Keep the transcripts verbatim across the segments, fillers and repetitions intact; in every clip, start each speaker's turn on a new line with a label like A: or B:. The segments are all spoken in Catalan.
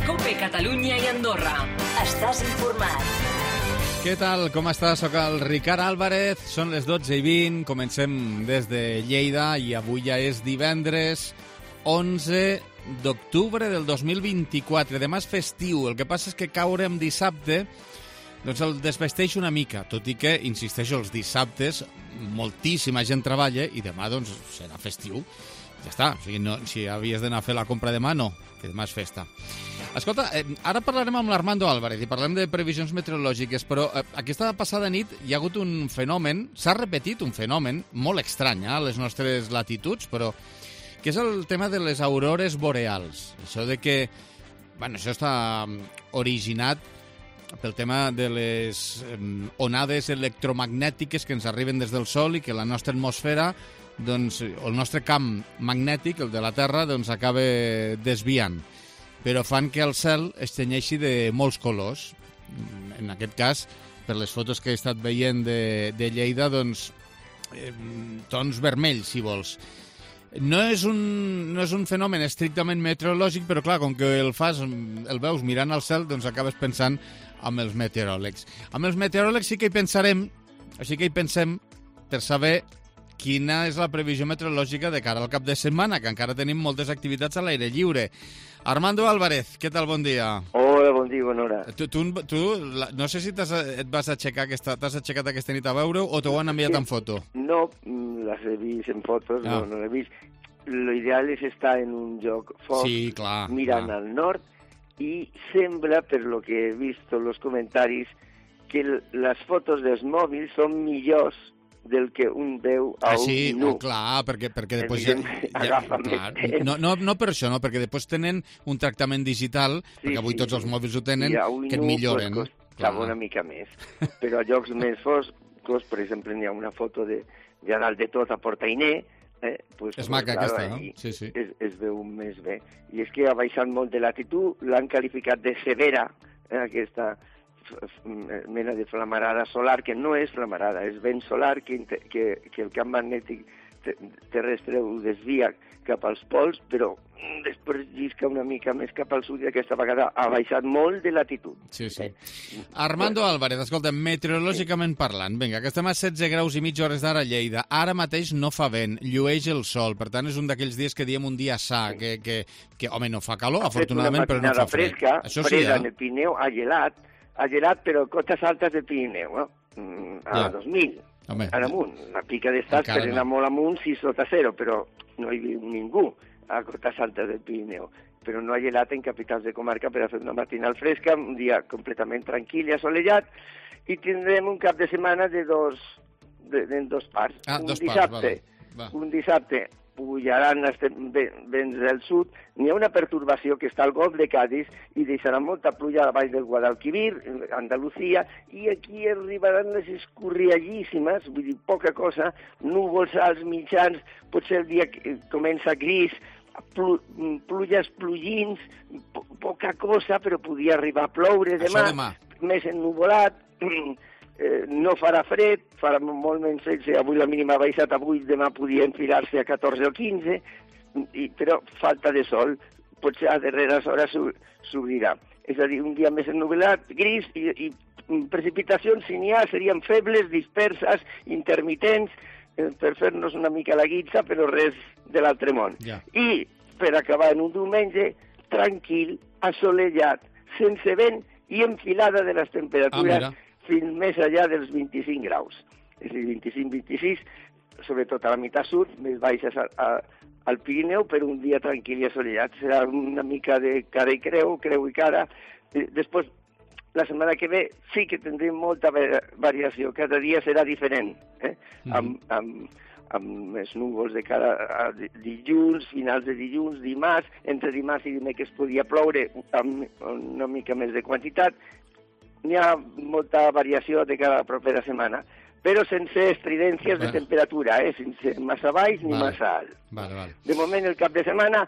A: COPE Catalunya i Andorra. Estàs informat.
B: Què tal? Com estàs? Soc el Ricard Álvarez. Són les dotze i vint. Comencem des de Lleida i avui ja és divendres onze d'octubre del dos mil vint-i-quatre. Demà és festiu. El que passa és que caure en dissabte doncs el desvesteix una mica, tot i que, insisteixo, els dissabtes moltíssima gent treballa i demà doncs serà festiu. Ja està, o sigui, no, si havies d'anar a fer la compra demà, no, que demà és festa. Escolta, eh, ara parlarem amb l'Armando Álvarez i parlem de previsions meteorològiques, però eh, aquesta passada nit hi ha hagut un fenomen, s'ha repetit un fenomen molt estrany eh, a les nostres latituds, però que és el tema de les aurores boreals. Això de que, bueno, això està originat pel tema de les eh, onades electromagnètiques que ens arriben des del Sol i que la nostra atmosfera, doncs, el nostre camp magnètic, el de la Terra, doncs acaba desviant. Però fan que el cel es tenyeixi de molts colors. En aquest cas, per les fotos que he estat veient de, de Lleida, doncs, eh, tons vermells, si vols. No és, un, no és un fenomen estrictament meteorològic, però clar, com que el fas, el veus mirant al cel, doncs acabes pensant amb els meteoròlegs. Amb els meteoròlegs sí que hi pensarem, així que hi pensem per saber quina és la previsió meteorològica de cara al cap de setmana, que encara tenim moltes activitats a l'aire lliure. Armando Álvarez, què tal? Bon dia.
C: Hola, bon dia, bona hora.
B: Tu, tu, tu la, no sé si et vas aixecar aquesta, t'has aixecat aquesta nit a veure o t'ho han enviat en foto?
C: No, les he vist en fotos, ah. no, no les he vist. L'ideal és estar en un lloc fort,
B: sí, clar,
C: mirant
B: clar.
C: al nord, i sembla, per lo que he vist en els comentaris, que les fotos dels mòbils són millors del que un veu a
B: ah, sí,
C: un nu.
B: Oh, clar, perquè, perquè després ja...
C: ja,
B: clar, no, no, no per això, no, perquè després tenen un tractament digital, sí, perquè avui sí, tots els mòbils ho tenen, que et milloren.
C: Pues, costava una mica més. Però a llocs més foscos, per exemple, hi ha una foto de, de dalt de tot a Portainer, eh, pues,
B: és maca
C: claro,
B: aquesta, no? Sí, sí.
C: Es, es veu més bé. I és que ha baixat molt de latitud, l'han qualificat de severa, eh, aquesta mena de flamarada solar, que no és flamarada, és vent solar que, que, que el camp magnètic terrestre ho desvia cap als pols, però després llisca una mica més cap al sud i aquesta vegada ha baixat molt de latitud.
B: Sí, sí. Armando bueno. Álvarez, escolta, meteorològicament sí. parlant, vinga, que estem a setze graus i mig hores d'ara a Lleida, ara mateix no fa vent, llueix el sol, per tant és un d'aquells dies que diem un dia sa, sí. que, que, que, home, no fa calor, ha afortunadament, però no fa fred.
C: Fresca,
B: Això
C: freda
B: sí, eh?
C: en el Pirineu, ha gelat, ha gelat, però cotes altes del Pirineu, no? A ja. dos mil.
B: Home,
C: ara amunt, la pica d'estats per anar no. molt amunt, sis sota zero, però no hi viu ningú a cotes altes del Pirineu. Però no ha gelat en capitals de comarca per a fer una matinal fresca, un dia completament tranquil i assolellat, i tindrem un cap de setmana de dos, de, de dos parts.
B: Ah,
C: un
B: dos
C: dissabte,
B: parts, vale. Va. Un
C: dissabte pujaran els vents del sud, n'hi ha una pertorbació que està al golf de Cádiz i deixarà molta pluja a baix del Guadalquivir, Andalusia, i aquí arribaran les escorriallíssimes, vull dir, poca cosa, núvols alts mitjans, potser el dia que comença gris, plu, pluges plugins, po poca cosa, però podia arribar a ploure demà,
B: demà.
C: més ennuvolat, Eh, no farà fred, farà molt menys fred, avui la mínima ha baixat, avui demà podia enfilar-se a catorze o quinze, i, però falta de sol, potser a darreres hores s'obrirà. És a dir, un dia més ennuvolat, gris, i, i precipitacions, si n'hi ha, serien febles, disperses, intermitents, eh, per fer-nos una mica la guitza, però res de l'altre món.
B: Yeah.
C: I, per acabar en un diumenge, tranquil, assolellat, sense vent i enfilada de les temperatures, ah, fins més allà dels vint-i-cinc graus. És a dir, vint-i-cinc vint-i-sis, sobretot a la meitat sud, més baixes a, a, al Pirineu, per un dia tranquil i assolellat. Serà una mica de cara i creu, creu i cara. Després, la setmana que ve, sí que tindrem molta variació. Cada dia serà diferent, eh? Mm. Amb, amb, amb els núvols de cara a dilluns, finals de dilluns, dimarts, entre dimarts i dimecres podia ploure amb una mica més de quantitat. N'hi ha molta variació de cada propera setmana, però sense estridències vale. de temperatura, eh? Sense massa baix ni vale. massa alt.
B: Vale, vale.
C: De moment, el cap de setmana,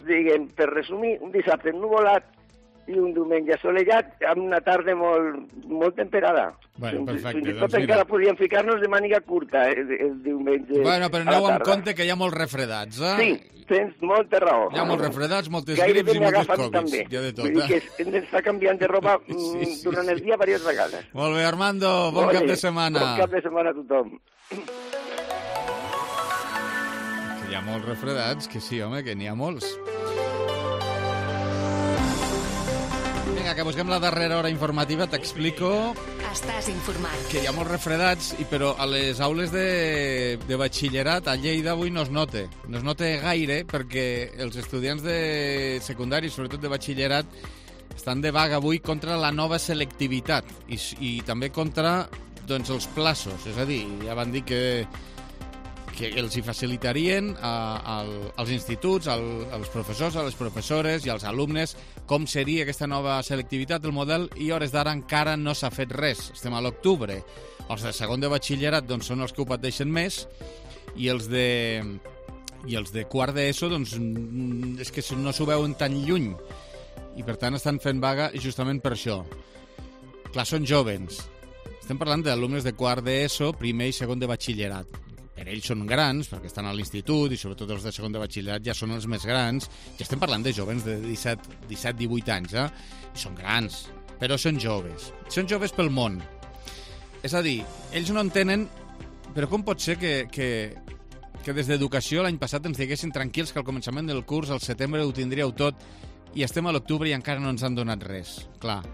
C: diguem, per resumir, un dissabte ennuvolat, i un diumenge assolellat amb una tarda molt, molt temperada.
B: Bueno, perfecte.
C: Fins i
B: doncs
C: tot
B: mira.
C: encara podríem ficar-nos de màniga curta el, el diumenge.
B: Bueno, però aneu amb compte que hi ha molts refredats, eh?
C: Sí, tens molta raó.
B: Hi ha molts refredats, moltes
C: Gairebé
B: grips i
C: m'he
B: moltes
C: agafat
B: Covids.
C: també.
B: Hi ha de tot,
C: Vull dir
B: eh?
C: que hem d'estar canviant de roba
B: Sí, sí, sí,
C: durant el
B: sí.
C: dia diverses vegades.
B: Molt bé, Armando, bon
C: Ole,
B: cap de setmana.
C: Bon cap de setmana a tothom.
B: Que hi ha molts refredats, que sí, home, que n'hi ha molts. Vinga, que busquem la darrera hora informativa, t'explico
A: Estàs informat.
B: que hi ha molts refredats, i però a les aules de, de batxillerat a Lleida avui no es nota. No es nota gaire perquè els estudiants de secundari, sobretot de batxillerat, estan de vaga avui contra la nova selectivitat i, i també contra doncs, els plaços. És a dir, ja van dir que que els hi facilitarien a, a, als instituts, al, als professors, a les professores i als alumnes com seria aquesta nova selectivitat, el model, i a hores d'ara encara no s'ha fet res. Estem a l'octubre. Els de segon de batxillerat doncs, són els que ho pateixen més i els de, i els de quart d'ESO doncs, és que no s'ho veuen tan lluny i per tant estan fent vaga justament per això. Clar, són jovens. Estem parlant d'alumnes de quart d'ESO, primer i segon de batxillerat. Per ells són grans, perquè estan a l'institut, i sobretot els de segon de batxillerat ja són els més grans. Ja estem parlant de jovens de disset, divuit anys, eh? I són grans, però són joves. Són joves pel món. És a dir, ells no entenen, però com pot ser que, que, que des d'Educació l'any passat ens diguessin tranquils que al començament del curs, al setembre, ho tindríeu tot, i estem a l'octubre i encara no ens han donat res. Clar.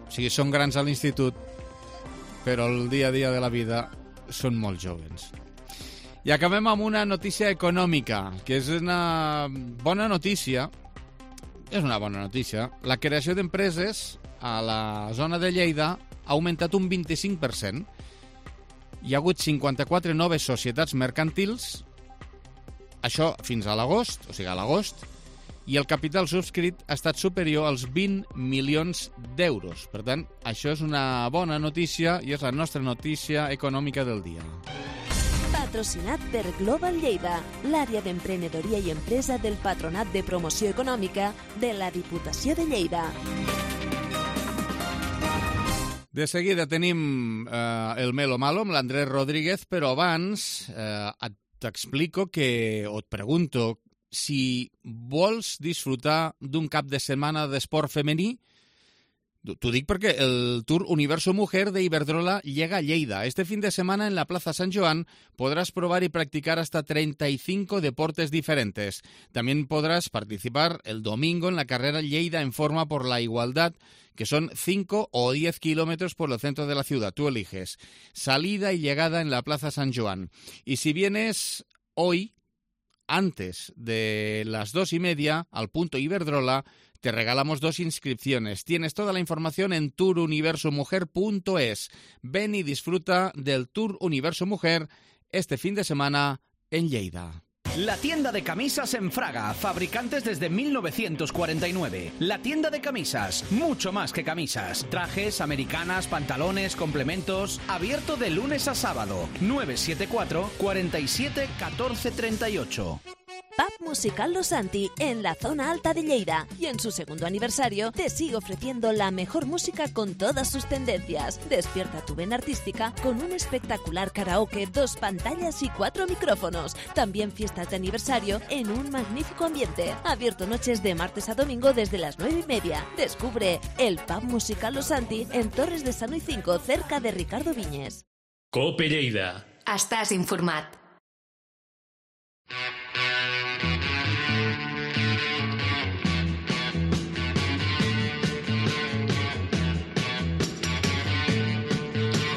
B: O sigui, són grans a l'institut, però el dia a dia de la vida són molt joves. I acabem amb una notícia econòmica, que és una bona notícia. És una bona notícia. La creació d'empreses a la zona de Lleida ha augmentat un vint-i-cinc per cent. Hi ha hagut cinquanta-quatre noves societats mercantils, això fins a l'agost, o sigui, a l'agost, i el capital subscrit ha estat superior als vint milions d'euros. Per tant, això és una bona notícia i és la nostra notícia econòmica del dia.
D: Patrocinat per Global Lleida, l'àrea d'emprenedoria i empresa del Patronat de Promoció Econòmica de la Diputació de Lleida.
B: De seguida tenim eh, el Melo Malo amb l'Andrés Rodríguez, però abans eh, t'explico que, o et pregunto, si vols disfrutar d'un cap de setmana d'esport femení, t'ho dic perquè el Tour Universo Mujer de Iberdrola llega a Lleida. Este fin de semana en la Plaza San Joan podrás probar y practicar hasta treinta y cinco deportes diferentes. También podrás participar el domingo en la carrera Lleida en Forma por la Igualdad, que son cinco o diez kilómetros por el centro de la ciudad. Tú eliges. Salida y llegada en la Plaza San Joan. Y si vienes hoy, antes de las dos y media, al punto Iberdrola, te regalamos dos inscripciones. Tienes toda la información en tour universo mujer punto es. Ven y disfruta del Tour Universo Mujer este fin de semana en Lleida.
E: La tienda de camisas en Fraga, fabricantes desde mil novecientos cuarenta y nueve. La tienda de camisas, mucho más que camisas. Trajes, americanas, pantalones, complementos. Abierto de lunes a sábado. nueve siete cuatro, cuarenta y siete, catorce treinta y ocho.
D: Pub Musical Los Santi, en la zona alta de Lleida. Y en su segundo aniversario te sigue ofreciendo la mejor música con todas sus tendencias. Despierta tu vena artística con un espectacular karaoke, dos pantallas y cuatro micrófonos. También fiestas de aniversario en un magnífico ambiente. Abierto noches de martes a domingo desde las nueve y media. Descubre el Pub Musical Los Santi en Torres de Sano y cinco, cerca de Ricardo Viñes.
F: Cope Lleida.
A: Estàs informat.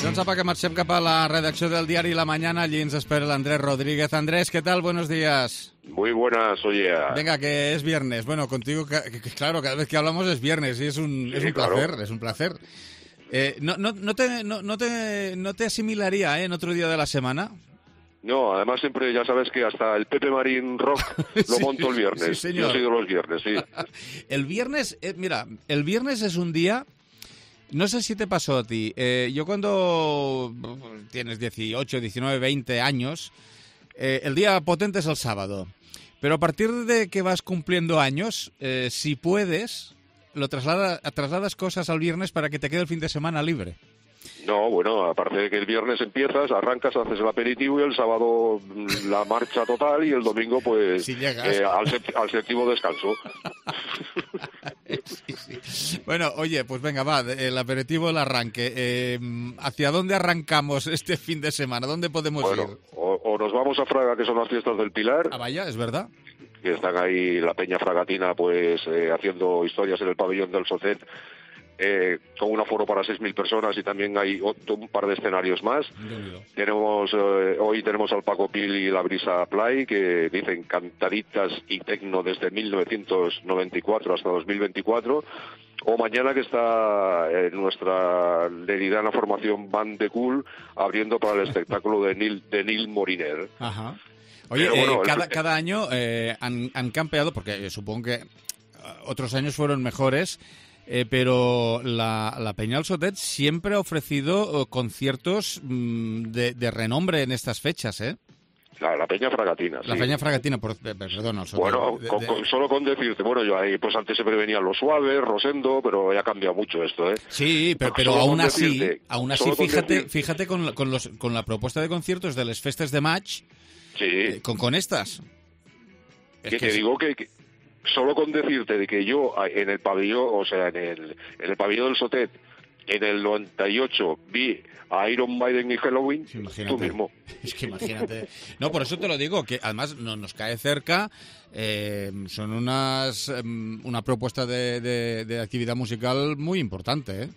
B: Doncs apa, que marxem cap a la redacció del diari La Mañana. Allí ens espera l'Andrés Rodríguez. Andrés, ¿qué tal? Buenos días.
G: Muy buenas, oye.
B: Venga, que es viernes. Bueno, contigo, que, que, claro, cada vez que hablamos es viernes y es un,
G: sí,
B: es un
G: claro.
B: placer, es un placer. Eh, no, no, no, te, no, no, te, ¿No te asimilaría eh, en otro día de la semana?
G: No, además siempre ya sabes que hasta el Pepe Marín Rock lo
B: Sí,
G: monto el viernes.
B: sí, señor.
G: Yo soy de los viernes, sí.
B: El viernes, eh, mira, el viernes es un día... No sé si te pasó a ti. Eh, yo cuando tienes dieciocho, diecinueve, veinte años, eh, el día potente es el sábado. Pero a partir de que vas cumpliendo años, eh, si puedes, lo traslada, trasladas cosas al viernes para que te quede el fin de semana libre.
G: No, bueno, aparte de que el viernes empiezas, arrancas, haces el aperitivo y el sábado la marcha total y el domingo, pues,
B: si llegas.
G: Eh, al, al séptimo descanso.
B: Sí, sí. Bueno, oye, pues venga, va, el aperitivo, el arranque. Eh, ¿Hacia dónde arrancamos este fin de semana? ¿Dónde podemos
G: bueno,
B: ir?
G: O, o nos vamos a Fraga, que son las fiestas del Pilar.
B: Ah, vaya, es verdad.
G: Que están ahí la peña fragatina, pues, eh, haciendo historias en el pabellón del Sotet. Eh, con un aforo para seis mil personas y también hay otro, un par de escenarios más. Tenemos eh, hoy tenemos al Paco Pil y la Brisa Play, que dicen cantaditas y tecno desde mil novecientos noventa y cuatro hasta dos mil veinticuatro. O mañana, que está eh, nuestra leridana formación Band de Cool abriendo para el espectáculo de Neil, de Neil Moriner.
B: Ajá. Oye,
G: Pero, bueno,
B: eh, cada,
G: el...
B: cada año eh, han, han campeado, porque eh, supongo que otros años fueron mejores. Eh, pero la, la Peña del Sotet siempre ha ofrecido uh, conciertos mmm, de, de renombre en estas fechas, ¿eh?
G: La, la Peña Fragatina,
B: La
G: sí.
B: Peña Fragatina, por, eh, perdón, el Sotet.
G: Bueno,
B: de,
G: con,
B: de...
G: con, solo con decirte, bueno, yo ahí, pues antes siempre venían Los Suaves, Rosendo, pero ya ha cambiado mucho esto, ¿eh?
B: Sí, pero, pero aún así, decirte, aún así, fíjate, decir... fíjate con, con, los, con la propuesta de conciertos de las festes de match,
G: sí.
B: eh, con, con estas.
G: Es que, que te es... digo que... que... Solo con decirte de que yo en el pabellón, o sea, en el, en el pabellón del Sotet, en el noventa y ocho vi a Iron Maiden y Halloween, imagínate. Tú mismo.
B: Es que imagínate. No, por eso te lo digo, que además no, nos cae cerca, eh, son unas um, una propuesta de, de, de actividad musical muy importante, ¿eh?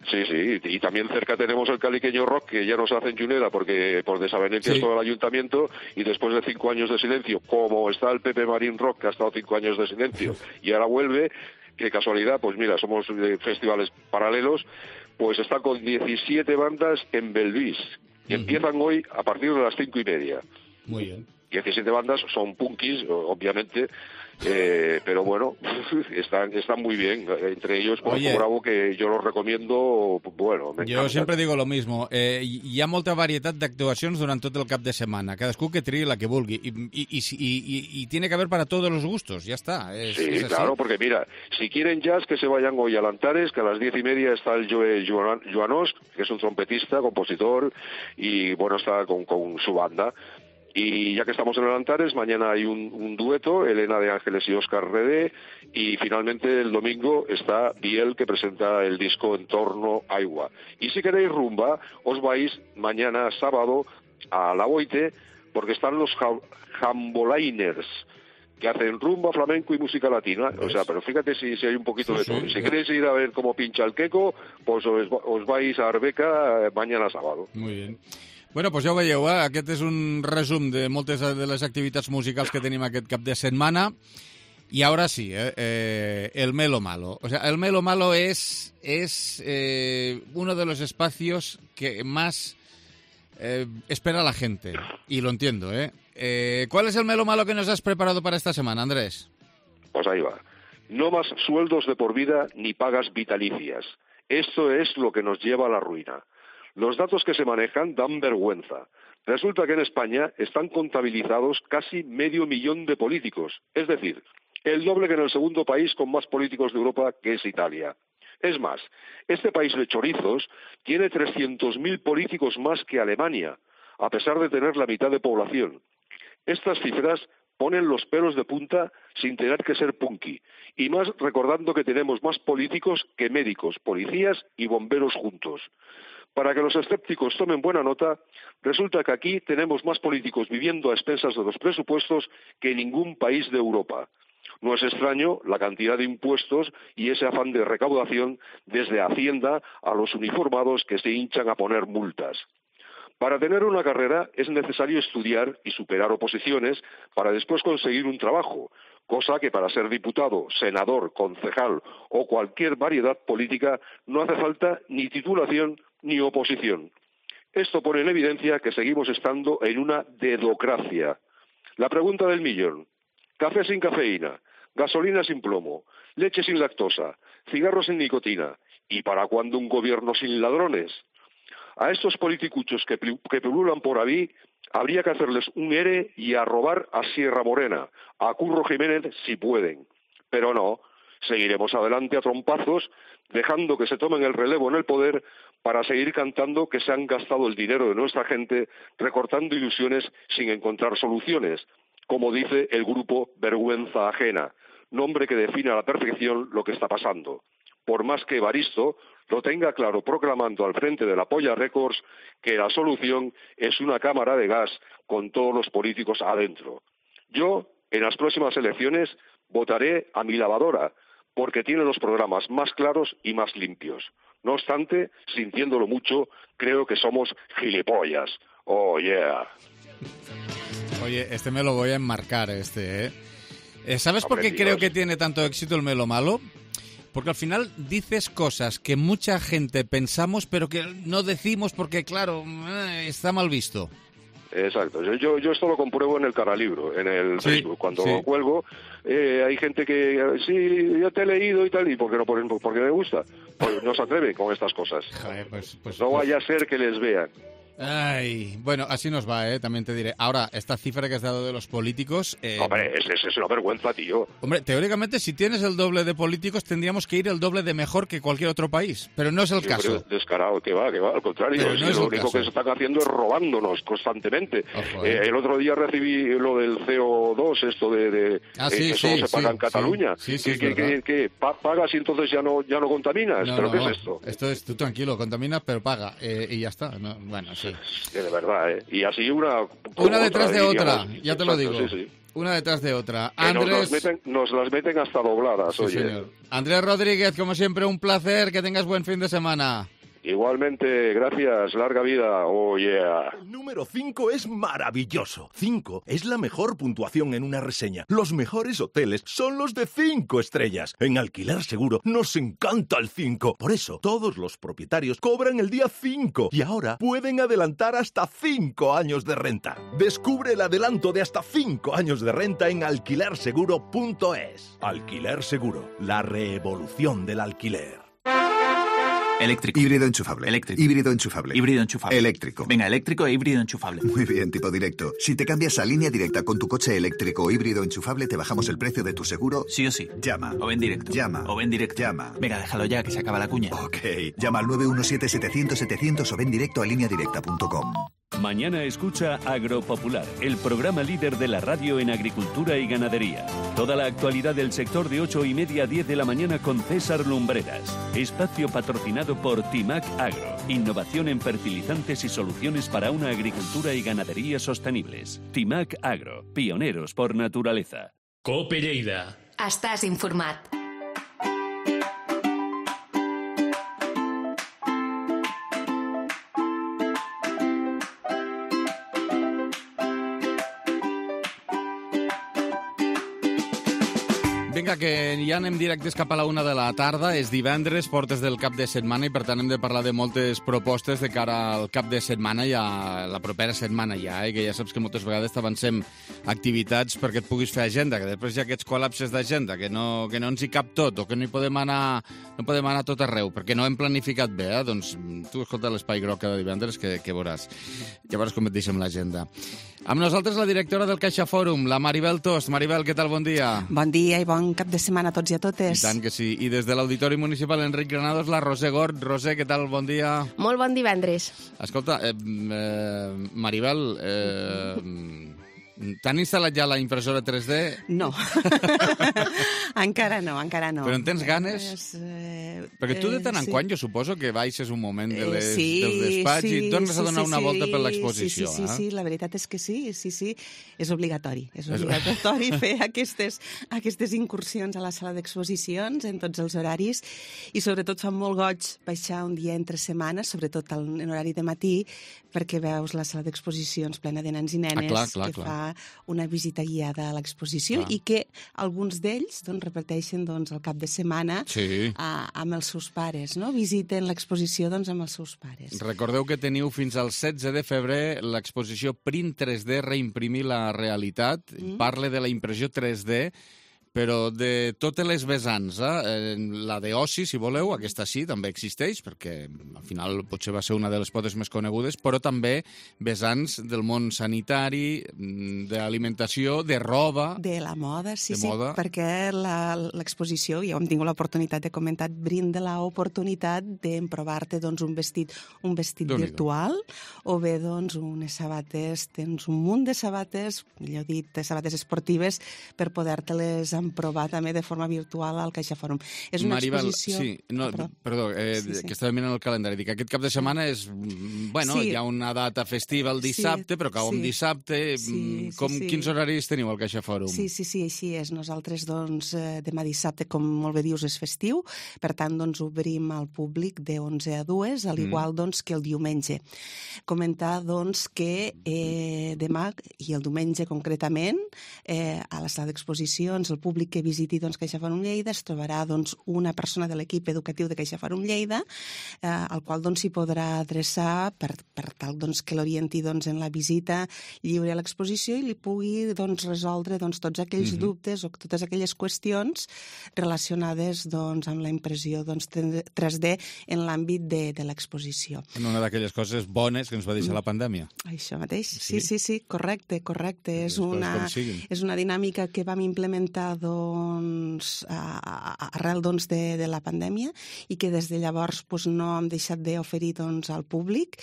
G: Sí, sí, y también cerca tenemos el Caliqueño Rock, que ya nos hacen Junera porque por desavenencias sí. todo el ayuntamiento, y después de cinco años de silencio, como está el Pepe Marín Rock, que ha estado cinco años de silencio, y ahora vuelve, qué casualidad, pues mira, somos eh, festivales paralelos, pues está con diecisiete bandas en Belvis, que uh-huh. empiezan hoy a partir de las cinco y media.
B: Muy bien.
G: diecisiete bandas, son punkis, obviamente, eh, pero bueno, están están muy bien. Entre ellos, Porco Bravo, que yo los recomiendo, bueno, me
B: Jo sempre digo lo mismo. Eh, hi ha molta varietat d'actuacions durant tot el cap de setmana. Cadascú que triï la que vulgui. I, i, i, i, y tiene que haber para todos los gustos, ya está. Es,
G: sí,
B: es
G: claro, porque mira, si quieren jazz, que se vayan hoy a Lantares, que a las diez y media está el Joe Joanos, que es un trompetista, compositor, y bueno, está con, con su banda. Y ya que estamos en el Antares, mañana hay un, un dueto, Elena de Ángeles y Óscar Redé, y finalmente el domingo está Biel, que presenta el disco Entorno Aigua. Y si queréis rumba, os vais mañana sábado a La Boite, porque están los Jambolainers, que hacen rumba, flamenco y música latina. O sea, pero fíjate si, si hay un poquito sí, de todo. Sí, si queréis ir a ver cómo pincha el queco, pues os, os vais a Arbeca mañana sábado.
B: Muy bien. Bueno, doncs ja ho veieu, eh? Aquest és un resum de moltes de les activitats musicals que tenim aquest cap de setmana. Y ahora sí, eh, eh, el Melo Malo. O sea, el Melo Malo es, es eh, uno de los espacios que más eh, espera la gente. Y lo entiendo, ¿eh? ¿eh? ¿Cuál es el Melo Malo que nos has preparado para esta semana, Andrés?
G: Pues ahí va. No más sueldos de por vida ni pagas vitalicias. Esto es lo que nos lleva a la ruina. Los datos que se manejan dan vergüenza. Resulta que en España están contabilizados casi medio millón de políticos, es decir, el doble que en el segundo país con más políticos de Europa, que es Italia. Es más, este país de chorizos tiene trescientos mil políticos más que Alemania, a pesar de tener la mitad de población. Estas cifras ponen los pelos de punta sin tener que ser punky, y más recordando que tenemos más políticos que médicos, policías y bomberos juntos. Para que los escépticos tomen buena nota, resulta que aquí tenemos más políticos viviendo a expensas de los presupuestos que en ningún país de Europa. No es extraño la cantidad de impuestos y ese afán de recaudación desde Hacienda a los uniformados que se hinchan a poner multas. Para tener una carrera es necesario estudiar y superar oposiciones para después conseguir un trabajo, cosa que para ser diputado, senador, concejal o cualquier variedad política no hace falta ni titulación ni oposición. Esto pone en evidencia que seguimos estando en una dedocracia. La pregunta del millón: café sin cafeína, gasolina sin plomo, leche sin lactosa, cigarros sin nicotina. ¿Y para cuándo un gobierno sin ladrones? A estos politicuchos que, que pululan por ahí habría que hacerles un ere y a robar a Sierra Morena, a Curro Jiménez si pueden. Pero no, Seguiremos adelante a trompazos, dejando que se tomen el relevo en el poder para seguir cantando que se han gastado el dinero de nuestra gente recortando ilusiones sin encontrar soluciones, como dice el grupo Vergüenza Ajena, nombre que define a la perfección lo que está pasando. Por más que Evaristo lo tenga claro proclamando al frente de la Polla Records que la solución es una cámara de gas con todos los políticos adentro. Yo, en las próximas elecciones, votaré a mi lavadora, porque tiene los programas más claros y más limpios. No obstante, sintiéndolo mucho, creo que somos gilipollas. Oh, yeah.
B: Oye, este me lo voy a enmarcar, este, ¿eh? eh ¿Sabes por qué creo que tiene tanto éxito el Melo Malo? Porque al final dices cosas que mucha gente pensamos, pero que no decimos porque, claro, está mal visto.
G: Exacto. Yo, yo esto lo compruebo en el Caralibro, en el sí, Facebook. Cuando sí. cuelgo, eh, hay gente que, sí, yo te he leído y tal, y ¿por qué no? Porque me gusta. Pues no se atreve con estas cosas.
B: Joder, pues, pues,
G: no vaya
B: pues...
G: a ser que les vean.
B: Ay, bueno, así nos va, ¿eh? También te diré. Ahora, esta cifra que has dado de los políticos... Eh...
G: Hombre, es, es, es una vergüenza, tío.
B: Hombre, teóricamente, si tienes el doble de políticos, tendríamos que ir el doble de mejor que cualquier otro país. Pero no es el sí, caso.
G: Descarado, que va, que va. Al contrario, no es lo único caso. que se están haciendo es robándonos constantemente. Ojo, eh. Eh, el otro día recibí lo del C O dos, esto de... de
B: ah, sí,
G: eh, que
B: sí,
G: solo se paga
B: sí,
G: en Cataluña.
B: Sí, sí,
G: que,
B: sí,
G: que, que, que pagas y entonces ya no, ya no contaminas.
B: No,
G: ¿Pero
B: no,
G: qué
B: no.
G: es esto?
B: Esto es, tú tranquilo, contaminas, pero paga. Eh, y ya está. No, bueno, sí.
G: De verdad. ¿eh? Y así una...
B: Una detrás de otra,
G: diríamos,
B: ya te lo digo.
G: Sí, sí.
B: Una detrás de otra.
G: Que
B: Andrés...
G: nos, las meten, nos las meten hasta dobladas,
B: sí,
G: oye.
B: Señor. Andrés Rodríguez, como siempre, un placer. Que tengas buen fin de semana.
G: Igualmente, gracias, larga vida, oh yeah.
F: El número cinco es maravilloso. cinco es la mejor puntuación en una reseña. Los mejores hoteles son los de cinco estrellas. En Alquiler Seguro nos encanta el cinco. Por eso, todos los propietarios cobran el día cinco y ahora pueden adelantar hasta cinco años de renta. Descubre el adelanto de hasta cinco años de renta en alquiler seguro punto es. Alquiler Seguro, la revolución del alquiler.
H: Eléctrico.
I: Híbrido enchufable.
H: Eléctrico.
I: Híbrido enchufable.
H: Híbrido enchufable.
I: Eléctrico.
H: Venga, eléctrico e híbrido enchufable.
I: Muy bien, tipo directo. Si te cambias a Línea Directa con tu coche eléctrico o híbrido enchufable, te bajamos el precio de tu seguro.
H: Sí o sí.
I: Llama.
H: O ven directo.
I: Llama.
H: O ven directo.
I: Llama.
H: Venga, déjalo ya, que se acaba la cuña.
I: Ok. Llama al nueve uno siete, setecientos, setecientos o ven directo a línea directa punto com.
J: Mañana escucha Agropopular, el programa líder de la radio en agricultura y ganadería. Toda la actualidad del sector de ocho y media a diez de la mañana con César Lumbreras. Espacio patrocinado por Timac Agro. Innovación en fertilizantes y soluciones para una agricultura y ganadería sostenibles. Timac Agro, pioneros por naturaleza.
K: Cope Lleida.
A: Estàs informat.
B: Vinga, que ja anem directes cap a la una de la tarda. És divendres, portes del cap de setmana, i per tant hem de parlar de moltes propostes de cara al cap de setmana i a la propera setmana ja, eh? Que ja saps que moltes vegades t'avancem activitats perquè et puguis fer agenda, que després hi ha aquests col·lapses d'agenda, que no, que no ens hi cap tot, o que no hi podem anar, no podem anar tot arreu, perquè no hem planificat bé, eh? Doncs tu escolta l'Espai Groc cada divendres, que, que veuràs. Llavors com et deixem l'agenda. Amb nosaltres la directora del Caixa Fòrum, la Maribel Tost. Maribel, què tal? Bon dia.
L: Bon dia i bon cap de setmana a tots i a totes.
B: I tant que sí. I des de l'Auditori Municipal Enric Granados, la Roser Gort. Roser, què tal? Bon dia.
M: Molt bon divendres.
B: Escolta, eh, eh, Maribel, eh, t'han instal·lat ja la impressora tres D?
L: No. encara no, encara no.
B: Però en tens ganes?
L: Eh,
B: Perquè tu de tant en
L: sí.
B: quan, jo suposo que baixes un moment de les,
L: eh, sí,
B: del despatx
L: sí,
B: i tornes
L: sí,
B: a donar
L: sí,
B: una
L: sí,
B: volta per l'exposició.
L: Sí, sí, sí,
B: eh?
L: sí, la veritat és que sí, sí, sí, és obligatori. És obligatori fer aquestes, aquestes incursions a la sala d'exposicions en tots els horaris i sobretot fa molt goig baixar un dia entre setmanes, sobretot en horari de matí, perquè veus la sala d'exposicions plena de nens i nenes
B: ah, clar, clar,
L: que
B: clar.
L: fa una visita guiada a l'exposició
B: clar.
L: i que alguns d'ells doncs, repeteixen doncs, el cap de setmana
B: sí.
L: a, amb els seus pares, no? Visiten l'exposició doncs, amb els seus pares.
B: Recordeu que teniu fins al setze de febrer l'exposició Print tres D, reimprimir la realitat. Mm. Parle de la impressió tres D però de totes les vessants, eh, la d'oci, si voleu, aquesta sí, també existeix, perquè al final potser va ser una de les potes més conegudes, però també vessants del món sanitari, d'alimentació, de roba...
L: De la moda, sí,
B: de
L: sí,
B: moda.
L: perquè l'exposició, ja hem tingut l'oportunitat de comentar, brinda l'oportunitat d'emprovar-te doncs, un vestit, un vestit virtual, o bé doncs, unes sabates, tens un munt de sabates, millor dit, de sabates esportives, per poder-te-les emprovar també de forma virtual al Caixa Fòrum. És una
B: Maribel,
L: exposició...
B: sí, no,
L: oh, perdó,
B: perdó eh,
L: sí, sí.
B: que estava mirant el calendari. Dic, aquest cap de setmana és... Bueno,
L: Sí.
B: hi ha una data festiva el dissabte,
L: Sí,
B: però cau en
L: sí.
B: dissabte.
L: Sí, sí,
B: Com,
L: sí.
B: Quins horaris teniu al Caixa Fòrum?
L: Sí, sí, sí, així és. Nosaltres, doncs, eh, demà dissabte, com molt bé dius, és festiu, per tant, doncs, obrim al públic de onze a dues, al igual,
B: Mm.
L: doncs, que el diumenge. Comentar, doncs, que eh, demà i el diumenge concretament, eh, a la sala d'exposicions, el públic que visiti, doncs, Caixa Fòrum Lleida es trobarà, doncs, una persona de l'equip educatiu de Caixa Fòrum Lleida, eh, al qual, doncs, s'hi podrà adreçar per, per tal, doncs, que l'orienti, doncs, en la visita lliure a l'exposició i li pugui, doncs, resoldre, doncs, tots aquells
B: Mhm.
L: dubtes o totes aquelles qüestions relacionades, doncs, amb la impressió, doncs, tres D en l'àmbit de, de l'exposició.
B: Una d'aquelles coses bones que ens va deixar la pandèmia.
L: Això mateix,
B: Sí.
L: sí, sí, sí, correcte, correcte. És
B: Les coses
L: una,
B: com siguin.
L: és una dinàmica que vam implementar, doncs, a, a, arrel, doncs, de, de la pandèmia i que des de llavors, doncs, no hem deixat d'oferir, doncs, al públic.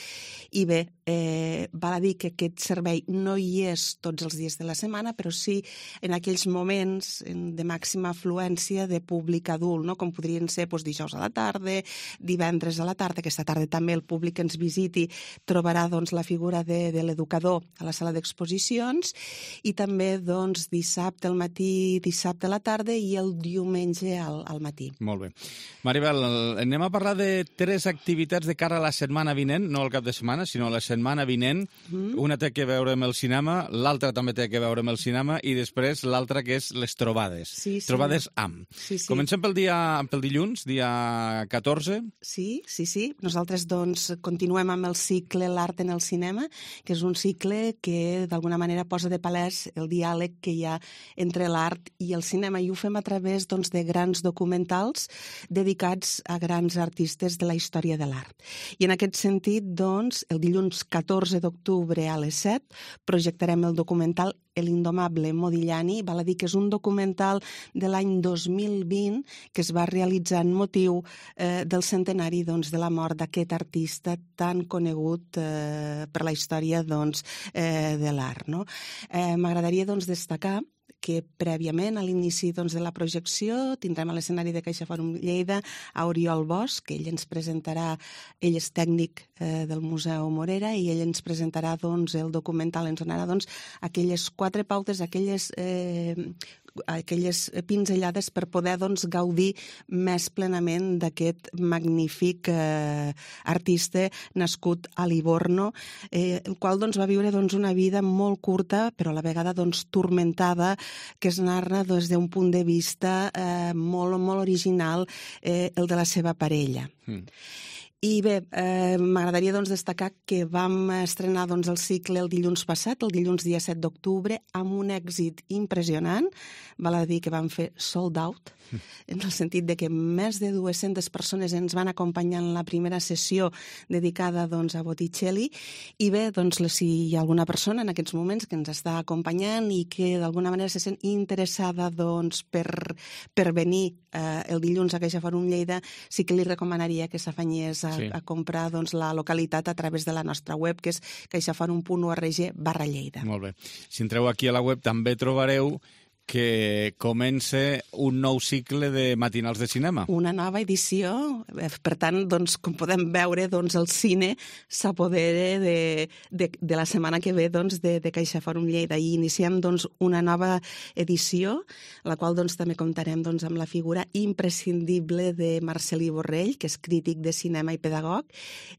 L: I bé, eh, val a dir que aquest servei no hi és tots els dies de la setmana, però sí en aquells moments de màxima afluència de públic adult, no? Com podrien ser, doncs, dijous a la tarda, divendres a la tarda. Aquesta tarda també el públic que ens visiti trobarà, doncs, la figura de, de l'educador a la sala d'exposicions i també, doncs, dissabte al matí, dissabte a la tarda i el diumenge al, al matí.
B: Molt bé. Maribel, anem a parlar de tres activitats de cara a la setmana vinent, no al cap de setmana, sinó a la setmana vinent.
L: Mm.
B: Una té que veure amb el cinema, l'altra també té que veure amb el cinema i després l'altra que és les trobades.
L: Sí, sí.
B: Trobades amb.
L: Sí, sí.
B: Comencem pel dia pel dilluns, dia catorze.
L: Sí, sí, sí. Nosaltres, doncs, continuem amb el cicle L'art en el cinema, que és un cicle que, d'alguna manera, posa de palès el diàleg que hi ha entre l'art i el cinema, i ho fem a través, doncs, de grans documentals dedicats a grans artistes de la història de l'art. I en aquest sentit, doncs, el dilluns catorze d'octubre a les set projectarem el documental El indomable Modigliani. Val a dir que és un documental de l'any dos mil vint que es va realitzar en motiu eh, del centenari, doncs, de la mort d'aquest artista tan conegut eh, per la història, doncs, eh, de l'art, no? Eh, M'agradaria, doncs, destacar que prèviament, a l'inici, doncs, de la projecció, tindrem a l'escenari de Caixa Fòrum Lleida a Oriol Bosch, que ell ens presentarà, ell és tècnic eh, del Museu Morera, i ell ens presentarà, doncs, el documental, ens donarà, doncs, aquelles quatre pautes, aquelles eh, aquelles pinzellades per poder, doncs, gaudir més plenament d'aquest magnífic eh, artista nascut a Livorno, eh, el qual, doncs, va viure, doncs, una vida molt curta, però a la vegada, doncs, turmentada, que es narra des d'un punt de vista eh, molt, molt original, eh, el de la seva parella. Mm. I bé, eh, m'agradaria, doncs, destacar que vam estrenar, doncs, el cicle el dilluns passat, el dilluns dia set d'octubre, amb un èxit impressionant. Val a dir que vam fer sold out, en el sentit de que més de dues-centes persones ens van acompanyar en la primera sessió dedicada, doncs, a Botticelli. I bé, doncs, si hi ha alguna persona en aquests moments que ens està acompanyant i que d'alguna manera se sent interessada, doncs, per, per venir eh, el dilluns a Caixa Fòrum Lleida, sí que li recomanaria que s'afanyés a, sí. a comprar, doncs, la localitat a través de la nostra web, que és caixaforum punt org barra Lleida.
B: Molt bé. Si entreu aquí a la web també trobareu que comença un nou cicle de matinals de cinema.
L: Una nova edició. Per tant, doncs, com podem veure, doncs, el cine s'apodera de, de, de la setmana que ve, doncs, de, de Caixa Fòrum Lleida. I iniciem, doncs, una nova edició, la qual, doncs, també comptarem, doncs, amb la figura imprescindible de Marcelí Borrell, que és crític de cinema i pedagog.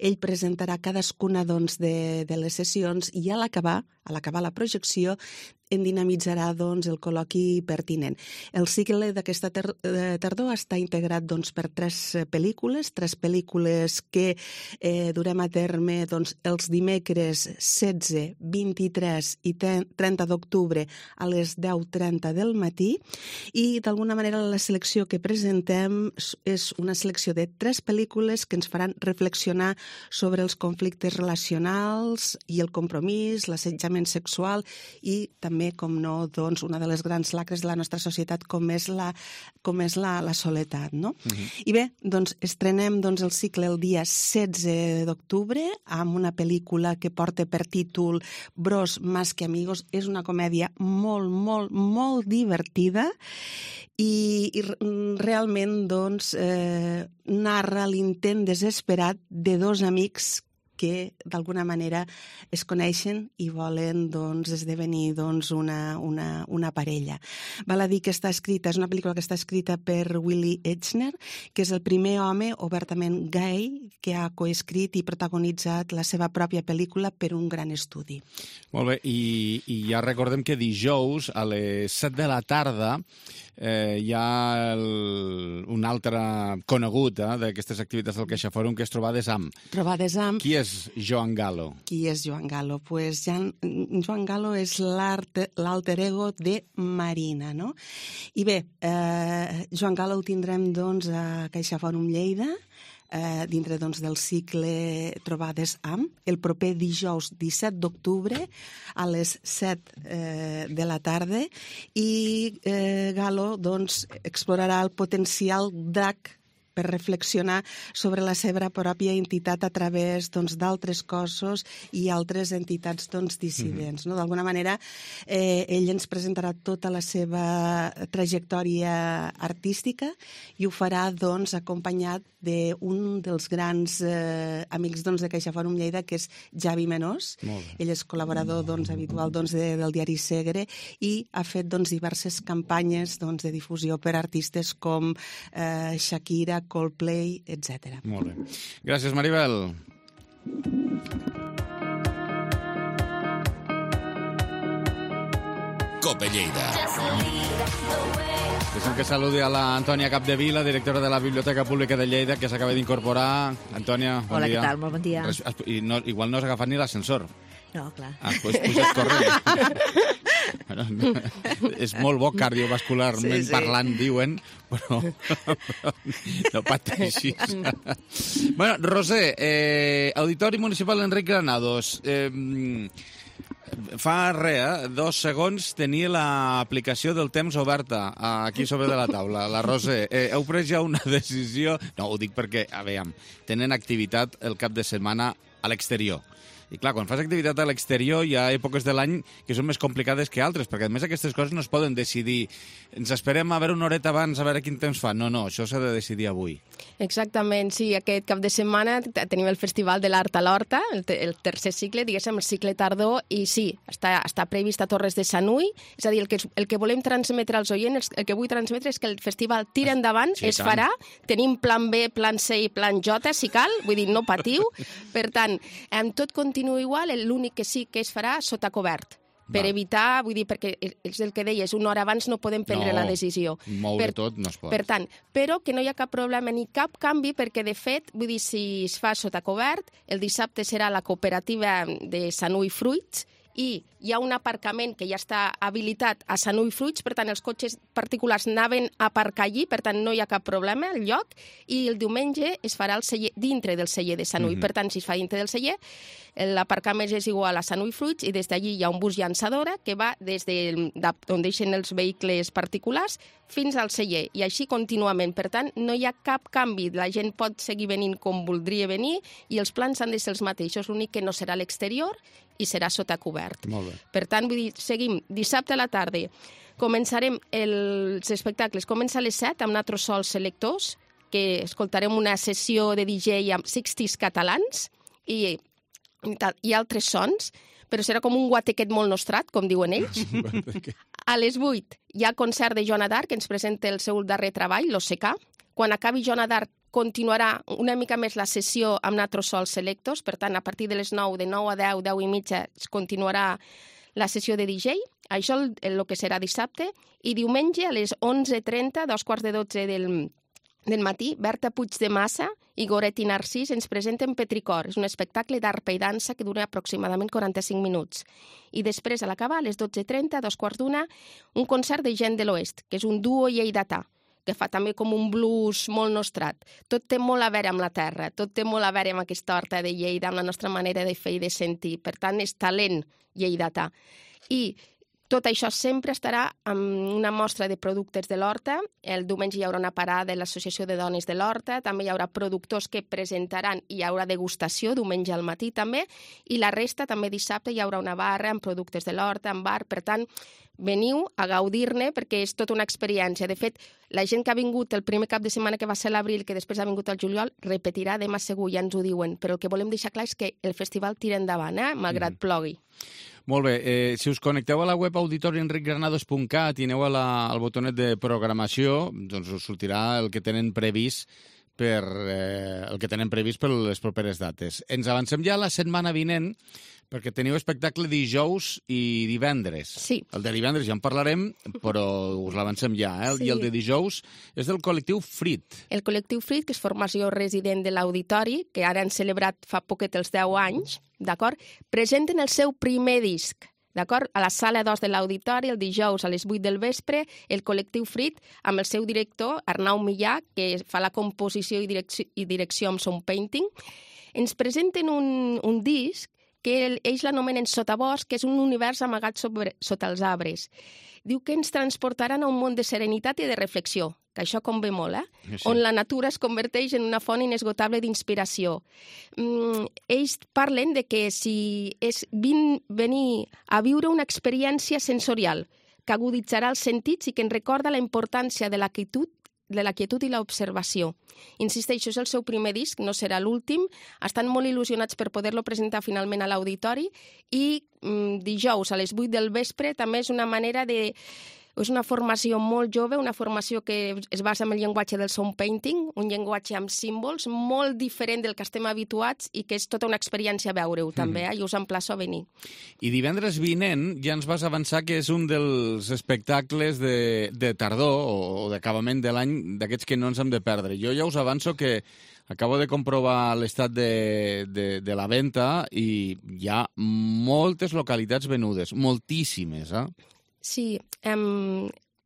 L: Ell presentarà cadascuna, doncs, de, de les sessions i a l'acabar, a l'acabar la projecció, en dinamitzarà doncs, el col·loqui pertinent. El cicle d'aquesta ter tardor està integrat doncs, per tres pel·lícules, tres pel·lícules que eh, durem a terme doncs, els dimecres setze, vint-i-tres i trenta d'octubre a les deu trenta del matí, i d'alguna manera la selecció que presentem és una selecció de tres pel·lícules que ens faran reflexionar sobre els conflictes relacionals i el compromís, l'assetjament sexual i també també, com no, doncs, una de les grans lacres de la nostra societat, com és la, com és la, la soledat, no? Uh-huh. I bé, doncs, estrenem doncs, el cicle el dia setze d'octubre amb una pel·lícula que porta per títol Bros más que amigos. És una comèdia molt, molt, molt divertida i, i realment, doncs, eh, narra l'intent desesperat de dos amics que d'alguna manera es coneixen i volen doncs, esdevenir doncs, una, una, una parella. Val a dir que està escrita, és una pel·lícula que està escrita per Willy Eichner, que és el primer home obertament gay que ha coescrit i protagonitzat la seva pròpia pel·lícula per un gran estudi.
B: Molt bé, i, i ja recordem que dijous a les set de la tarda eh, hi ha el, un altre conegut eh, d'aquestes activitats del CaixaForum, que és Trobades amb.
L: Trobades amb.
B: Qui és Joan Galo?
L: Qui és Joan Galo? Pues Jan, Joan Galo és l'alter ego de Marina, no? I bé, eh, Joan Galo el tindrem doncs, a CaixaForum Lleida, eh, dintre doncs, del cicle Trobades amb, el proper dijous disset d'octubre a les set eh, de la tarda, i eh, Galo doncs, explorarà el potencial drac per reflexionar sobre la seva pròpia entitat a través doncs, d'altres cossos i altres entitats doncs, dissidents. Mm-hmm. No? D'alguna manera, eh, ell ens presentarà tota la seva trajectòria artística i ho farà doncs, acompanyat d'un dels grans eh, amics doncs, de CaixaForum Lleida, que és Javi Menós. Ell és col·laborador doncs, habitual doncs, de, del diari Segre i ha fet doncs, diverses campanyes doncs, de difusió per artistes com eh, Shakira, Coldplay, etcètera.
B: Molt bé. Gràcies, Maribel.
K: Cope Lleida.
B: Deixem que saludi a l'Antònia Capdevila, directora de la Biblioteca Pública de Lleida, que s'acaba d'incorporar. Antònia, bon
M: Hola,
B: dia.
M: què tal? Molt bon dia.
B: I no, igual no has agafat ni l'ascensor.
M: No, clar.
B: Ah, doncs pujat corrent. Bueno, no, és molt bo cardiovascularment sí, sí. parlant, diuen, però no pateixis. Bueno, Roser, eh, Auditori Municipal Enric Granados, eh, fa res, eh, dos segons tenia l'aplicació del temps oberta aquí sobre de la taula. La Roser, eh, heu pres ja una decisió? No, ho dic perquè, a veure, tenen activitat el cap de setmana a l'exterior. I clar, quan fas activitat a l'exterior hi ha èpoques de l'any que són més complicades que altres, perquè a més aquestes coses no es poden decidir. Ens esperem a veure una horeta abans a veure quin temps fa. No, no, això s'ha de decidir avui.
N: Exactament, sí. Aquest cap de setmana tenim el Festival de l'Art a l'Horta, el, te el tercer cicle, diguéssim, el cicle tardor, i sí, està, està previst a Torres de Sanui. És a dir, el que, el que volem transmetre als oients, el que vull transmetre és que el festival tira endavant, sí, es tant. farà. Tenim plan B, plan C i plan J, si cal, vull dir, no patiu. Per tant, amb tot continua igual, l'únic que sí que es farà sota cobert. Per Va. evitar, vull dir, perquè és el que deies, una hora abans no podem prendre no, la decisió.
B: Moure per, tot no es pot.
N: Per tant, però que no hi ha cap problema ni cap canvi, perquè de fet, vull dir, si es fa sota cobert, el dissabte serà la cooperativa de Sanui Fruits, i hi ha un aparcament que ja està habilitat a Sanui Fruits, per tant, els cotxes particulars anaven a aparcar allí, per tant, no hi ha cap problema al lloc, i el diumenge es farà el celler, dintre del celler de Sanui. Mm-hmm. Per tant, si es fa dintre del celler, l'aparcament és igual a Sanui Fruits, i des d'allí hi ha un bus llançadora que va des de, d'on deixen els vehicles particulars fins al celler, i així contínuament. Per tant, no hi ha cap canvi. La gent pot seguir venint com voldria venir, i els plans han de ser els mateixos. L'únic que no serà a l'exterior i serà sota cobert.
B: Molt bé.
N: Per tant, vull dir, seguim dissabte a la tarda. Començarem els espectacles. Comença a les set amb Natros Sols Selectors, que escoltarem una sessió de D J amb sixties catalans i, i altres sons, però serà com un guatequet molt nostrat, com diuen ells. A les vuit hi ha concert de Joana d'Arc, que ens presenta el seu darrer treball, l'O C K. Quan acabi Joana d'Arc, continuarà una mica més la sessió amb Natros Sols Selectors, per tant, a partir de les nou, de nou a deu, deu i mitja, es continuarà la sessió de D J, això el, el que serà dissabte, i diumenge a les onze trenta, dos quarts de dotze del, del matí, Berta Puig de Massa i Goretti Narcís ens presenten Petricor. És un espectacle d'arpa i dansa que dura aproximadament quaranta-cinc minuts. I després, a l'acabar, a les dotze trenta, dos quarts d'una, un concert de Gent de l'Oest, que és un duo lleidatà, que fa també com un blues molt nostrat. Tot té molt a veure amb la terra, tot té molt a veure amb aquesta horta de Lleida, amb la nostra manera de fer i de sentir. Per tant, és talent lleidatà. I tot això sempre estarà amb una mostra de productes de l'horta. El diumenge hi haurà una parada de l'Associació de Dones de l'Horta, també hi haurà productors que presentaran i hi haurà degustació diumenge al matí també, i la resta també dissabte hi haurà una barra amb productes de l'horta, amb bar. Per tant, veniu a gaudir-ne perquè és tota una experiència. De fet, la gent que ha vingut el primer cap de setmana que va ser l'abril, que després ha vingut al juliol, repetirà demà segur, ja ens ho diuen. Però el que volem deixar clar és que el festival tira endavant, eh? Malgrat mm. plogui.
B: Molt bé, eh, si us connecteu a la web auditori enric granados punt cat i aneu a la, al botonet de programació, doncs us sortirà el que tenen previst per eh, el que tenen previst per les properes dates. Ens avancem ja a la setmana vinent, perquè teniu espectacle dijous i divendres.
N: Sí.
B: El de divendres ja en parlarem, però us l'avancem ja, eh? Sí. I el de dijous és del col·lectiu Frit.
N: El col·lectiu Frit, que és formació resident de l'Auditori, que ara han celebrat fa poquet els deu anys, d'acord? Presenten el seu primer disc, d'acord? A la sala dos de l'Auditori, el dijous a les vuit del vespre, el col·lectiu Frit, amb el seu director, Arnau Millà, que fa la composició i direcció, i direcció amb Sound Painting, ens presenten un, un disc que ells l'anomenen Sotabosc, que és un univers amagat sobre, sota els arbres. Diu que ens transportaran a un món de serenitat i de reflexió, que això convé molt, eh? Sí. On la natura es converteix en una font inesgotable d'inspiració. Mm, ells parlen de que si és vin, venir a viure una experiència sensorial que aguditzarà els sentits i que ens recorda la importància de la quietud de la quietud i l'observació. Insisteixo, és el seu primer disc, no serà l'últim. Estan molt il·lusionats per poder-lo presentar finalment a l'Auditori i mm, dijous a les vuit del vespre també és una manera de... És una formació molt jove, una formació que es basa en el llenguatge del sound painting, un llenguatge amb símbols molt diferent del que estem habituats i que és tota una experiència veure-ho també, eh? I us emplaço a venir.
B: I divendres vinent ja ens vas avançar que és un dels espectacles de, de tardor o d'acabament de l'any d'aquests que no ens hem de perdre. Jo ja us avanço que acabo de comprovar l'estat de, de, de la venda i hi ha moltes localitats venudes, moltíssimes, eh?
N: Sí, um,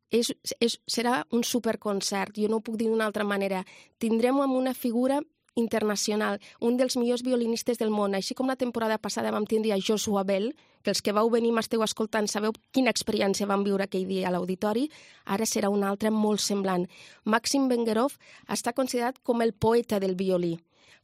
N: és, és, serà un superconcert, jo no ho puc dir d'una altra manera. Tindrem amb una figura internacional, un dels millors violinistes del món, així com la temporada passada vam tindre a Joshua Bell, que els que vau venir m'esteu escoltant sabeu quina experiència vam viure aquell dia a l'Auditori, ara serà una altra molt semblant. Maxim Vengerov està considerat com el poeta del violí.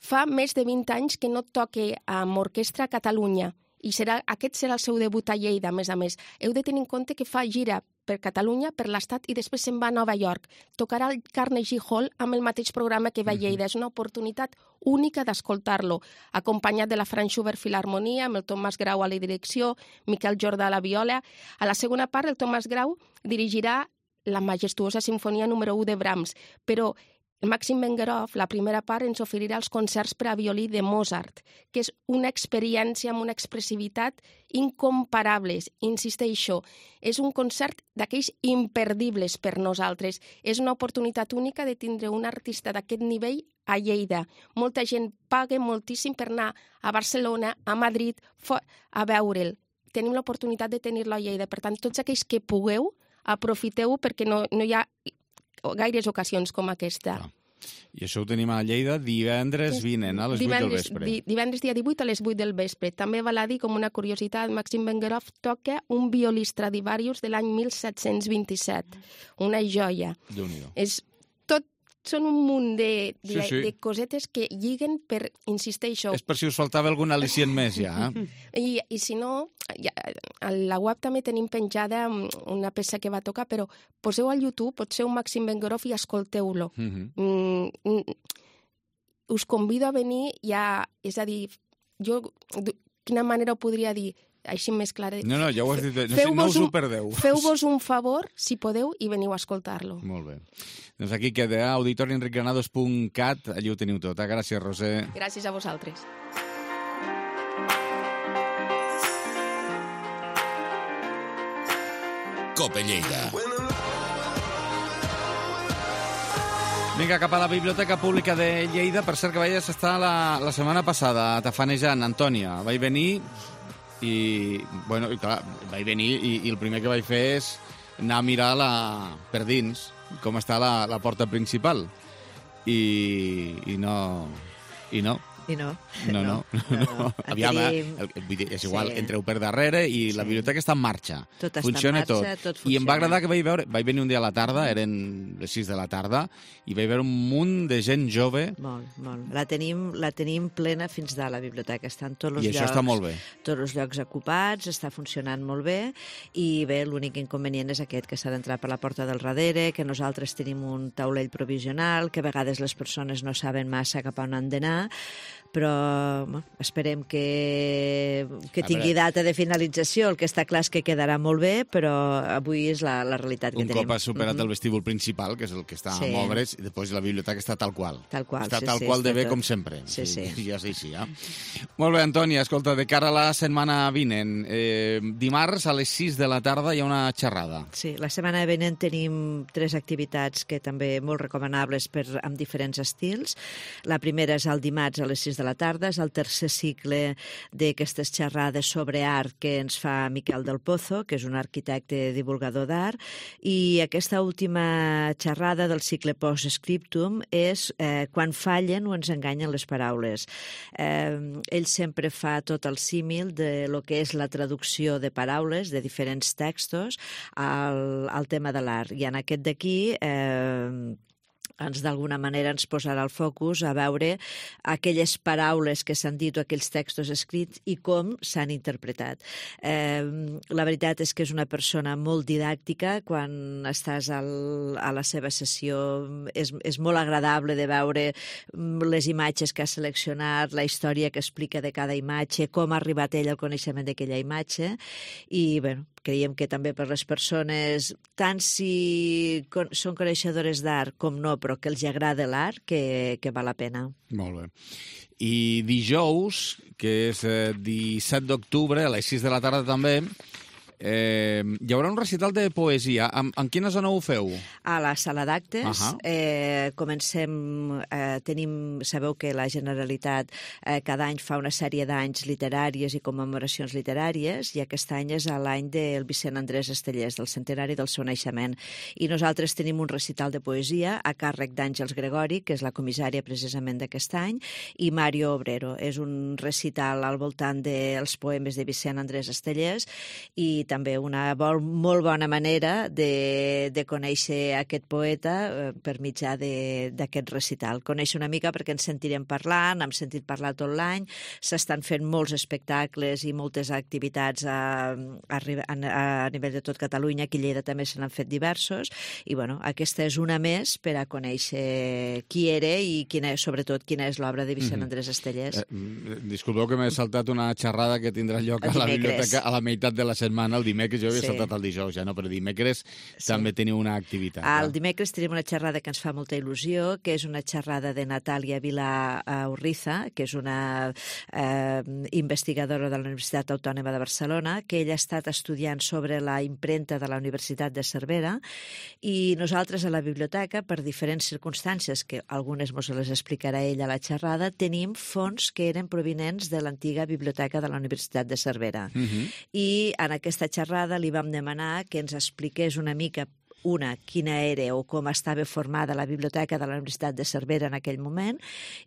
N: Fa més de vint anys que no toca amb orquestra a Catalunya, i serà, aquest serà el seu debut a Lleida, a més a més. Heu de tenir en compte que fa gira per Catalunya, per l'Estat, i després se'n va a Nova York. Tocarà al Carnegie Hall amb el mateix programa que va a Lleida. És una oportunitat única d'escoltar-lo, acompanyat de la Franz Schubert Filharmonia, amb el Tomàs Grau a la direcció, Miquel Jordà a la viola. A la segona part, el Tomàs Grau dirigirà la majestuosa Sinfonia número u de Brahms, però el Maxim Vengerov, la primera part, ens oferirà els concerts per a violí de Mozart, que és una experiència amb una expressivitat incomparables. Insisteixo, és un concert d'aquells imperdibles per nosaltres. És una oportunitat única de tindre un artista d'aquest nivell a Lleida. Molta gent paga moltíssim per anar a Barcelona, a Madrid, a veure'l. Tenim l'oportunitat de tenir-lo a Lleida. Per tant, tots aquells que pugueu, aprofiteu perquè no, no hi ha gaires ocasions com aquesta.
B: Ah. I això ho tenim a Lleida divendres vinent, a les
N: divendres,
B: vuit del vespre.
N: Di, divendres dia divuit a les vuit del vespre. També val a dir, com una curiositat, Maxim Vengerov toca un violí Stradivarius de l'any mil set-cents vint-i-set. Una joia.
B: Déu-n'hi-do.
N: És tot, són un munt de, de,
B: sí, sí.
N: de cosetes que lliguen per, insisteixo...
B: És per si us faltava algun al·licient més, ja. Eh? I,
N: I si no, ja, a la web també tenim penjada una peça que va tocar, però poseu al YouTube, potser un Maxim Vengerov i escolteu-lo. Mm-hmm. Mm, us convido a venir ja, és a dir, jo, quina manera ho podria dir? Així més clara.
B: No, no, ja ho has dit. No, no us ho perdeu.
N: Feu-vos un favor, si podeu, i veniu a escoltar-lo.
B: Molt bé. Doncs aquí queda auditori enric granados punt cat. Allí ho teniu tot. Gràcies, Roser.
N: Gràcies a vosaltres.
K: Cope Lleida.
B: Vinga, cap a la Biblioteca Pública de Lleida. Per cert, que vaig estar la, la setmana passada tafanejant, Antònia. Vaig venir i, bueno, i clar, vaig venir i, i el primer que vaig fer és anar a mirar la, per dins com està la, la porta principal. I, i no... I no.
M: I no.
B: No, no. no, no. no. Aviam, tenim... eh? El, és igual, sí. Entreu per darrere i sí. La biblioteca està en marxa.
M: Tot
B: funciona
M: està en marxa, tot. tot funciona.
B: I em va agradar que vaig veure... Vaig venir un dia a la tarda, eren les sis de la tarda, i vaig veure un munt de gent jove.
M: Molt, molt. La tenim, la tenim plena fins dalt, la biblioteca. Estan tots els
B: I
M: llocs...
B: I això està molt bé.
M: Tots els llocs ocupats, està funcionant molt bé, i bé, l'únic inconvenient és aquest, que s'ha d'entrar per la porta del darrere, que nosaltres tenim un taulell provisional, que a vegades les persones no saben massa cap a on han d'anar, però bueno, esperem que, que tingui data de finalització. El que està clar és que quedarà molt bé, però avui és la, la realitat que
B: un
M: tenim.
B: Un cop has superat
M: mm-hmm.
B: el vestíbul principal, que és el que està sí. a moure's, i després la biblioteca està tal qual.
M: Tal qual,
B: està
M: sí,
B: tal
M: sí,
B: qual de bé
M: tot.
B: com sempre.
M: Sí, sí.
B: I ja sí, sí, ja. Molt bé, Antònia, escolta, de cara a la setmana vinent, eh, dimarts a les sis de la tarda hi ha una xerrada.
M: Sí, la setmana vinent tenim tres activitats que també molt recomanables per, amb diferents estils. La primera és el dimarts a les sis de la tarda, és el tercer cicle d'aquestes xerrades sobre art que ens fa Miquel del Pozo, que és un arquitecte divulgador d'art, i aquesta última xerrada del cicle post-scriptum és eh, quan fallen o ens enganyen les paraules. Eh, ell sempre fa tot el símil de lo que és la traducció de paraules de diferents textos al, al tema de l'art. I en aquest d'aquí... Eh, ens d'alguna manera ens posarà el focus a veure aquelles paraules que s'han dit o aquells textos escrits i com s'han interpretat. Eh, la veritat és que és una persona molt didàctica. Quan estàs al, a la seva sessió és, és molt agradable de veure les imatges que ha seleccionat, la història que explica de cada imatge, com ha arribat ell al coneixement d'aquella imatge, i bueno, creiem que també per les persones, tant si con, són coneixedores d'art com no, però que els agrada l'art, que, que val la pena.
B: Molt bé. I dijous, que és eh, disset d'octubre, a les sis de la tarda també, eh, hi haurà un recital de poesia. En, en quina zona ho feu?
M: A la sala d'actes.
B: Uh-huh.
M: eh, comencem, eh, tenim, sabeu que la Generalitat eh, cada any fa una sèrie d'anys literàries i commemoracions literàries, i aquest any és l'any del Vicent Andrés Estellés, del centenari del seu naixement. I nosaltres tenim un recital de poesia a càrrec d'Àngels Gregori, que és la comissària precisament d'aquest any, i Mario Obrero. És un recital al voltant dels poemes de Vicent Andrés Estellés, i també una vol, molt bona manera de, de conèixer aquest poeta eh, per mitjà d'aquest recital. Conèixer una mica perquè ens sentirem parlant, hem sentit parlar tot l'any, s'estan fent molts espectacles i moltes activitats a, a, a, a nivell de tot Catalunya, aquí a Lleida també se n'han fet diversos, i bueno, aquesta és una més per a conèixer qui era i quina, sobretot quina és l'obra de Vicent Andrés Estellés.
B: Eh, disculpeu que m'he saltat una xerrada que tindrà lloc a la biblioteca a la meitat de la setmana. El dimecres, jo havia sí. saltat el dijous, ja no, però dimecres sí. també teniu una activitat.
M: El dimecres tenim una xerrada que ens fa molta il·lusió, que és una xerrada de Natàlia Vilà Urriza, que és una eh, investigadora de la Universitat Autònoma de Barcelona, que ella ha estat estudiant sobre la impremta de la Universitat de Cervera, i nosaltres a la biblioteca, per diferents circumstàncies, que algunes mos les explicarà ella a la xerrada, tenim fons que eren provinents de l'antiga biblioteca de la Universitat de Cervera. Uh-huh. I en aquesta xerrada li vam demanar que ens expliqués una mica una, quina era o com estava formada la biblioteca de la Universitat de Cervera en aquell moment,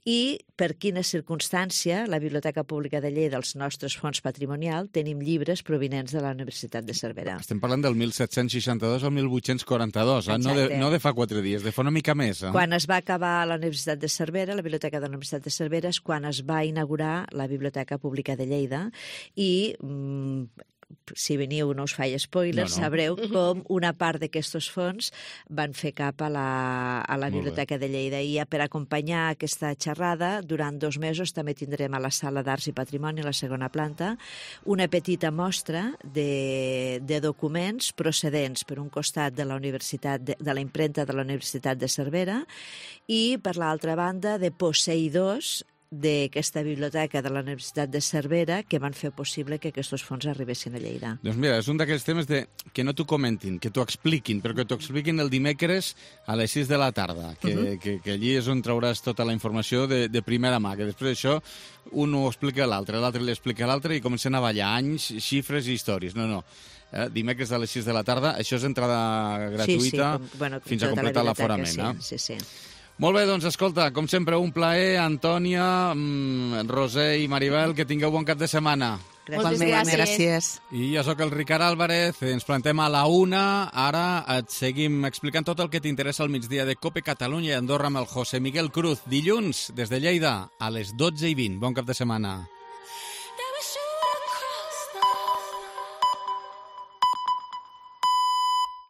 M: i per quina circumstància la Biblioteca Pública de Lleida, dels nostres fons patrimonial, tenim llibres provinents de la Universitat de Cervera.
B: Estem parlant del mil set-cents seixanta-dos al mil vuit-cents quaranta-dos, eh? no, de, no de fa quatre dies, de fa una mica més. Eh?
M: Quan es va acabar la Universitat de Cervera, la Biblioteca de la Universitat de Cervera, és quan es va inaugurar la Biblioteca Pública de Lleida, i mm, si veniu, no us faig spoilers, no, no. sabreu com una part d'aquests fons van fer cap a la, a la Biblioteca de Lleida. I per acompanyar aquesta xerrada, durant dos mesos també tindrem a la Sala d'Arts i Patrimoni, a la segona planta, una petita mostra de, de documents procedents, per un costat, de la Universitat de, de la impremta de la Universitat de Cervera, i per l'altra banda de posseïdors d'aquesta biblioteca de la Universitat de Cervera que van fer possible que aquests fons arribessin a Lleida.
B: Doncs mira, és un d'aquells temes de que no t'ho comentin, que t'ho expliquin, però que t'ho expliquin el dimecres a les sis de la tarda, que, uh -huh. que, que allí és on trauràs tota la informació de, de primera mà, que després d'això un ho explica a l'altre, l'altre li explica a l'altre i comencen a ballar anys, xifres i històries. No, no. Eh, dimecres a les sis de la tarda, això és entrada gratuïta sí, sí, com, bueno, fins a completar l'aforament.
M: Sí,
B: eh?
M: sí, sí.
B: Molt bé, doncs escolta, com sempre, un plaer, Antònia, mmm, Roser i Maribel, que tingueu bon cap de setmana.
L: Moltes gràcies. gràcies.
B: I jo sóc el Ricard Álvarez, ens plantem a la una, ara et seguim explicant tot el que t'interessa al migdia de COPE Catalunya i Andorra amb el José Miguel Cruz, dilluns, des de Lleida, a les dotze i vint. Bon cap de setmana.